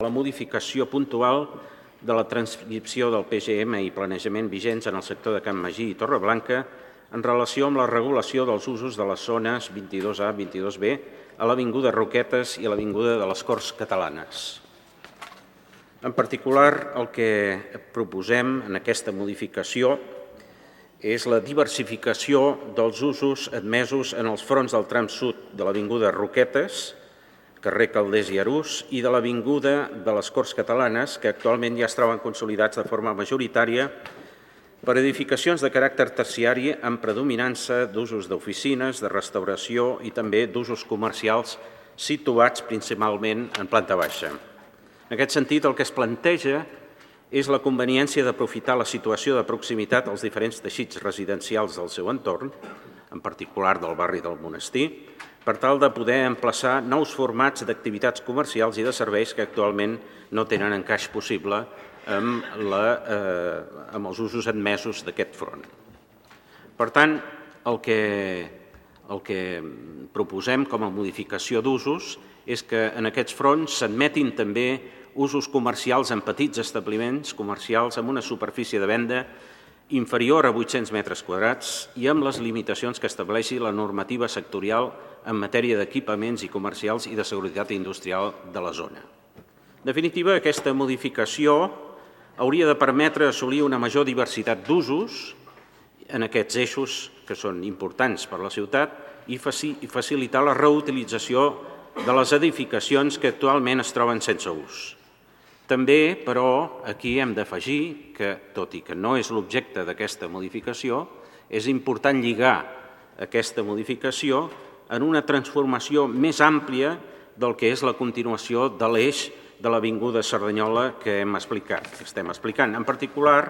La modificació puntual de la transcripció del PGM i planejament vigents en el sector de Can Magí i Torreblanca en relació amb la regulació dels usos de les zones 22A, 22B a l'Avinguda Roquetes i a l'Avinguda de les Corts Catalanes. En particular, el que proposem en aquesta modificació és la diversificació dels usos admesos en els fronts del tram sud de l'Avinguda Roquetes, carrer Calders i Arús, i de l'Avinguda de les Corts Catalanes, que actualment ja es troben consolidats de forma majoritària per edificacions de caràcter terciari amb predominança d'usos d'oficines, de restauració i també d'usos comercials situats principalment en planta baixa. En aquest sentit, el que es planteja és la conveniència d'aprofitar la situació de proximitat als diferents teixits residencials del seu entorn, en particular del barri del Monestir, per tal de poder emplaçar nous formats d'activitats comercials i de serveis que actualment no tenen encaix possible amb els usos admesos d'aquest front. Per tant, el que proposem com a modificació d'usos és que en aquests fronts s'admetin també usos comercials en petits establiments comercials amb una superfície de venda inferior a 800 metres quadrats i amb les limitacions que estableixi la normativa sectorial en matèria d'equipaments i comercials i de seguretat industrial de la zona. En definitiva, aquesta modificació hauria de permetre assolir una major diversitat d'usos en aquests eixos que són importants per a la ciutat i facilitar la reutilització de les edificacions que actualment es troben sense ús. També, però, aquí hem d'afegir que, tot i que no és l'objecte d'aquesta modificació, és important lligar aquesta modificació en una transformació més àmplia del que és la continuació de l'eix de l'Avinguda Cerdanyola que estem explicant. En particular,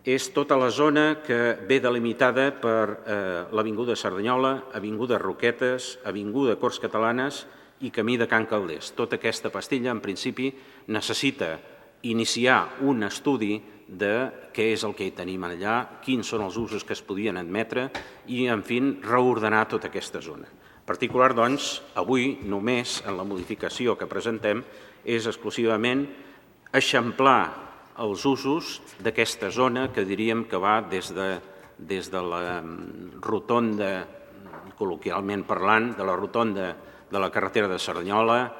és tota la zona que ve delimitada per l'Avinguda Cerdanyola, Avinguda Roquetes, Avinguda Corts Catalanes i Camí de Can Calders. Tota aquesta pastilla, en principi, necessita iniciar un estudi de què és el que hi tenim allà, quins són els usos que es podien admetre i, en fi, reordenar tota aquesta zona. En particular, doncs, avui només en la modificació que presentem és exclusivament eixamplar els usos d'aquesta zona que diríem que va des de la rotonda, col·loquialment parlant, de la rotonda de la carretera de Cerdanyola,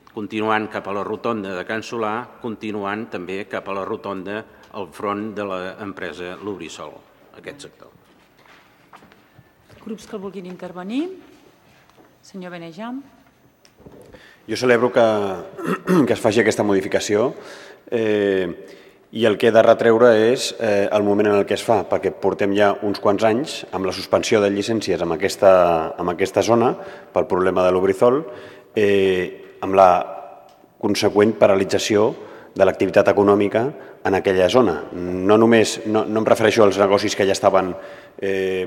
continuant cap a la rotonda de Can Solà, continuant també cap a la rotonda al front de l'empresa Lubrisol, aquest sector. Grups que vulguin intervenir. Senyor Benejam. Jo celebro que es faci aquesta modificació i el que he de retreure és el moment en el que es fa, perquè portem ja uns quants anys amb la suspensió de llicències en aquesta zona pel problema de Lubrizol, amb la conseqüent paralització de l'activitat econòmica en aquella zona. No em refereixo als negocis que ja estaven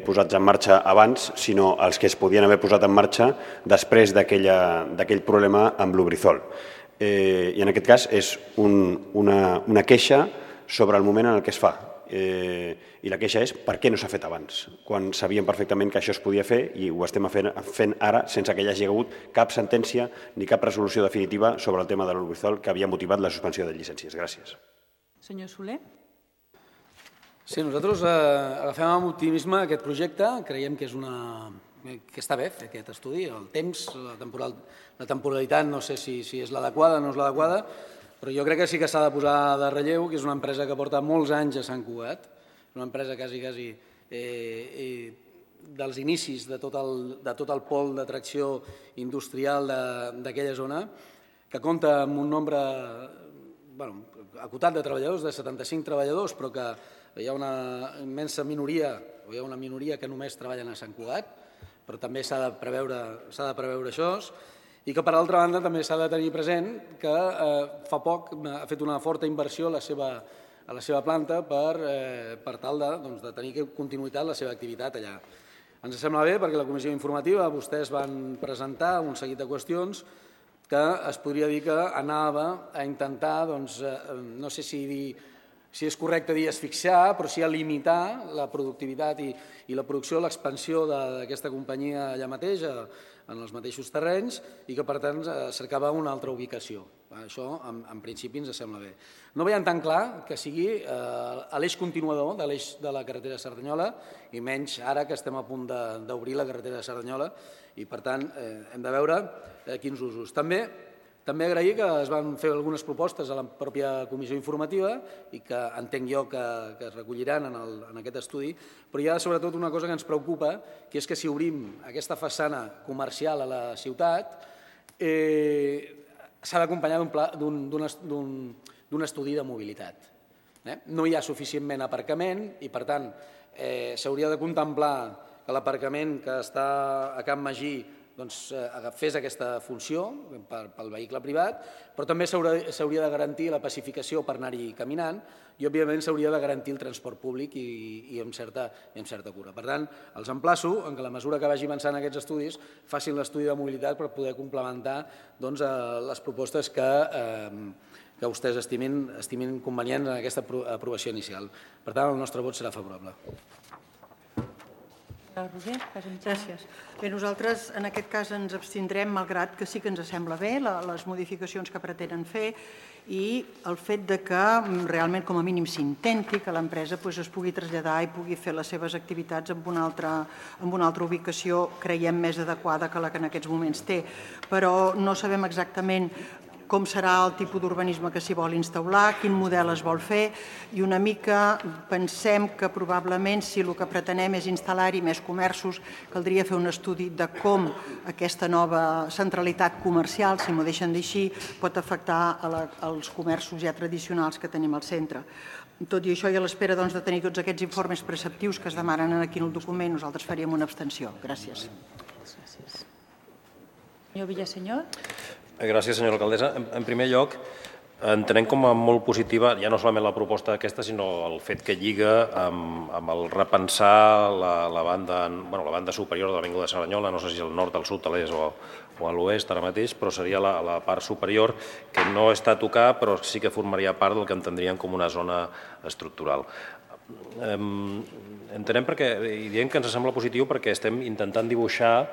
posats en marxa abans, sinó als que es podien haver posat en marxa després d'aquell problema amb Lubrizol. I en aquest cas és una queixa sobre el moment en el que es fa. I la queixa és per què no s'ha fet abans, quan sabíem perfectament que això es podia fer i ho estem fent ara sense que hi hagi hagut cap sentència ni cap resolució definitiva sobre el tema de Lubrizol que havia motivat la suspensió de llicències. Gràcies. Senyor Soler. Sí, nosaltres agafem amb optimisme aquest projecte, creiem que està bé fer aquest estudi, el temps, la temporalitat, no sé si és l'adequada o no és l'adequada, però jo crec que sí que s'ha de posar de relleu que és una empresa que porta molts anys a Sant Cugat, una empresa quasi dels inicis de tot el pol d'atracció industrial d'aquella zona, que compta amb un nombre acotat de treballadors, de 75 treballadors, però que hi ha una immensa minoria, o hi ha una minoria que només treballen a Sant Cugat, però també s'ha de preveure això, i que, per altra banda, també s'ha de tenir present que fa poc ha fet una forta inversió a la seva planta per tal de tenir continuïtat la seva activitat allà. Ens sembla bé perquè a la comissió informativa vostès van presentar un seguit de qüestions que es podria dir que anava a intentar, no sé si és correcte dir asfixiar, però sí a limitar la productivitat i la producció, l'expansió d'aquesta companyia allà mateix, en els mateixos terrenys, i que per tant cercava una altra ubicació. Això, en principi, ens sembla bé. No veiem tan clar que sigui l'eix continuador de l'eix de la carretera de Cerdanyola, i menys ara que estem a punt d'obrir la carretera de Cerdanyola, i per tant hem de veure quins usos. També agrair que es van fer algunes propostes a la pròpia comissió informativa i que entenc jo que es recolliran en aquest estudi, però hi ha sobretot una cosa que ens preocupa, que és que si obrim aquesta façana comercial a la ciutat, s'ha d'acompanyar d'un estudi de mobilitat. No hi ha suficientment aparcament i, per tant, s'hauria de contemplar que l'aparcament que està a Can Magí fes aquesta funció pel vehicle privat, però també s'hauria de garantir la pacificació per anar-hi caminant i, òbviament, s'hauria de garantir el transport públic i amb certa cura. Per tant, els emplaço que a la mesura que vagi avançant aquests estudis facin l'estudi de mobilitat per poder complementar les propostes que vostès estimin convenients en aquesta aprovació inicial. Per tant, el nostre vot serà favorable. Gràcies. Bé, nosaltres en aquest cas ens abstindrem, malgrat que sí que ens sembla bé les modificacions que pretenen fer i el fet que realment com a mínim s'intenti que l'empresa es pugui traslladar i pugui fer les seves activitats en una altra ubicació, creiem més adequada que la que en aquests moments té. Però no sabem exactament com serà el tipus d'urbanisme que s'hi vol instaurar, quin model es vol fer, i una mica pensem que probablement si el que pretenem és instal·lar-hi més comerços, caldria fer un estudi de com aquesta nova centralitat comercial, si m'ho deixen dir així, pot afectar els comerços ja tradicionals que tenim al centre. Tot i això, i a l'espera de tenir tots aquests informes preceptius que es demanen aquí en el document, nosaltres faríem una abstenció. Gràcies. Senyor Villasenyor. Gràcies, senyora alcaldessa. En primer lloc, entenem com a molt positiva, ja no solament la proposta aquesta, sinó el fet que lliga amb el repensar la banda superior de l'Avinguda de Cerdanyola, no sé si al nord, al sud, a l'est o a l'oest ara mateix, però seria la part superior, que no està a tocar, però sí que formaria part del que entendríem com una zona estructural. Entenem i diem que ens sembla positiu perquè estem intentant dibuixar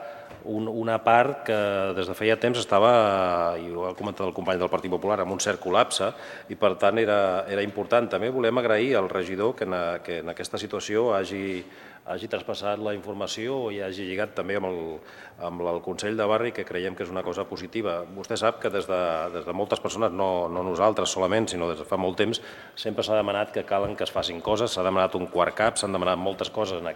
una part que des de feia temps estava, i ho ha comentat el company del Partit Popular, amb un cert col·lapse, i per tant era important. També volem agrair al regidor que en aquesta situació hagi traspassat la informació i hagi lligat també amb el Consell de Barri, que creiem que és una cosa positiva. Vostè sap que des de moltes persones, no nosaltres solament, sinó des de fa molt temps, sempre s'ha demanat que calen que es facin coses, s'ha demanat un quart cap, s'han demanat moltes coses en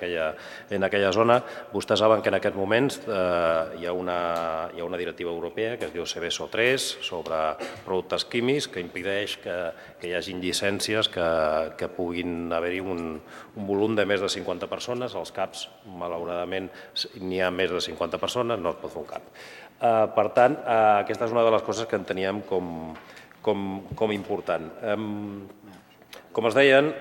aquella zona. Vostès saben que en aquests moments hi ha una directiva europea que es diu Seveso 3 sobre productes químics que impedeix que hi hagin llicències que puguin haver-hi un volum de més de 50 persones. Als CAPs, malauradament, n'hi ha més de 50 persones, no es pot fer un CAP. Per tant, aquesta és una de les coses que enteníem com important. Com es deien,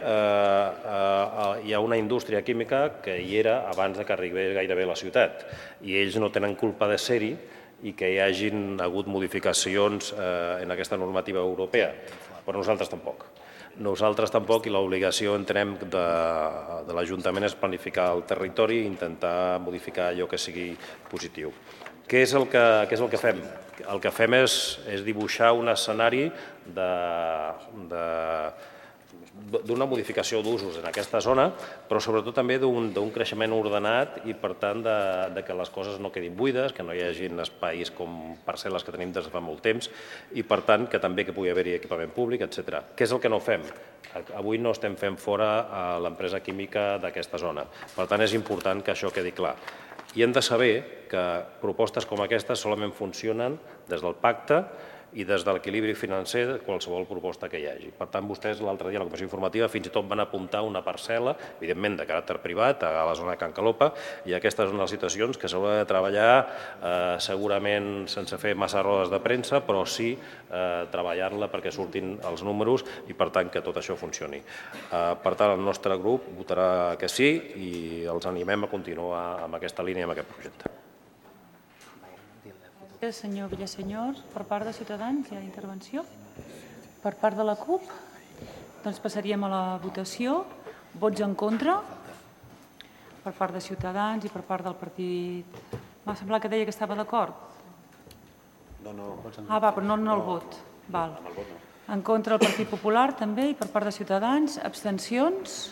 hi ha una indústria química que hi era abans que arribés gairebé a la ciutat i ells no tenen culpa de ser-hi i que hi hagin hagut modificacions en aquesta normativa europea, però nosaltres tampoc. Nosaltres tampoc, i l'obligació, entenem, de l'Ajuntament és planificar el territori i intentar modificar allò que sigui positiu. Què és el que fem? El que fem és dibuixar un escenari d'una modificació d'usos en aquesta zona, però sobretot també d'un creixement ordenat i, per tant, que les coses no quedin buides, que no hi hagi espais com parcel·les que tenim des de fa molt temps i, per tant, que també pugui haver-hi equipament públic, etc. Què és el que no fem? Avui no estem fent fora l'empresa química d'aquesta zona. Per tant, és important que això quedi clar. I hem de saber que propostes com aquestes solament funcionen des del pacte i des de l'equilibri financer de qualsevol proposta que hi hagi. Per tant, vostès l'altre dia a la comissió informativa fins i tot van apuntar una parcel·la, evidentment de caràcter privat, a la zona de Can Calopa, i aquesta és una de les situacions que s'haurà de treballar segurament sense fer massa rodes de premsa, però sí treballar-la perquè surtin els números i, per tant, que tot això funcioni. Per tant, el nostre grup votarà que sí i els animem a continuar amb aquesta línia, amb aquest projecte. Senyor Villasenyor, per part de Ciutadans hi ha intervenció? Per part de la CUP? Doncs passaríem a la votació. Vots en contra? Per part de Ciutadans i per part del partit... M'ha semblat que deia que estava d'acord. No. Però no el vot. Val. En contra el Partit Popular també i per part de Ciutadans. Abstencions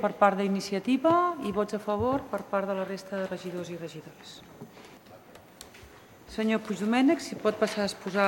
per part d'Iniciativa i vots a favor per part de la resta de regidors i regidores. Senyor Puigdomènech, si pot passar a exposar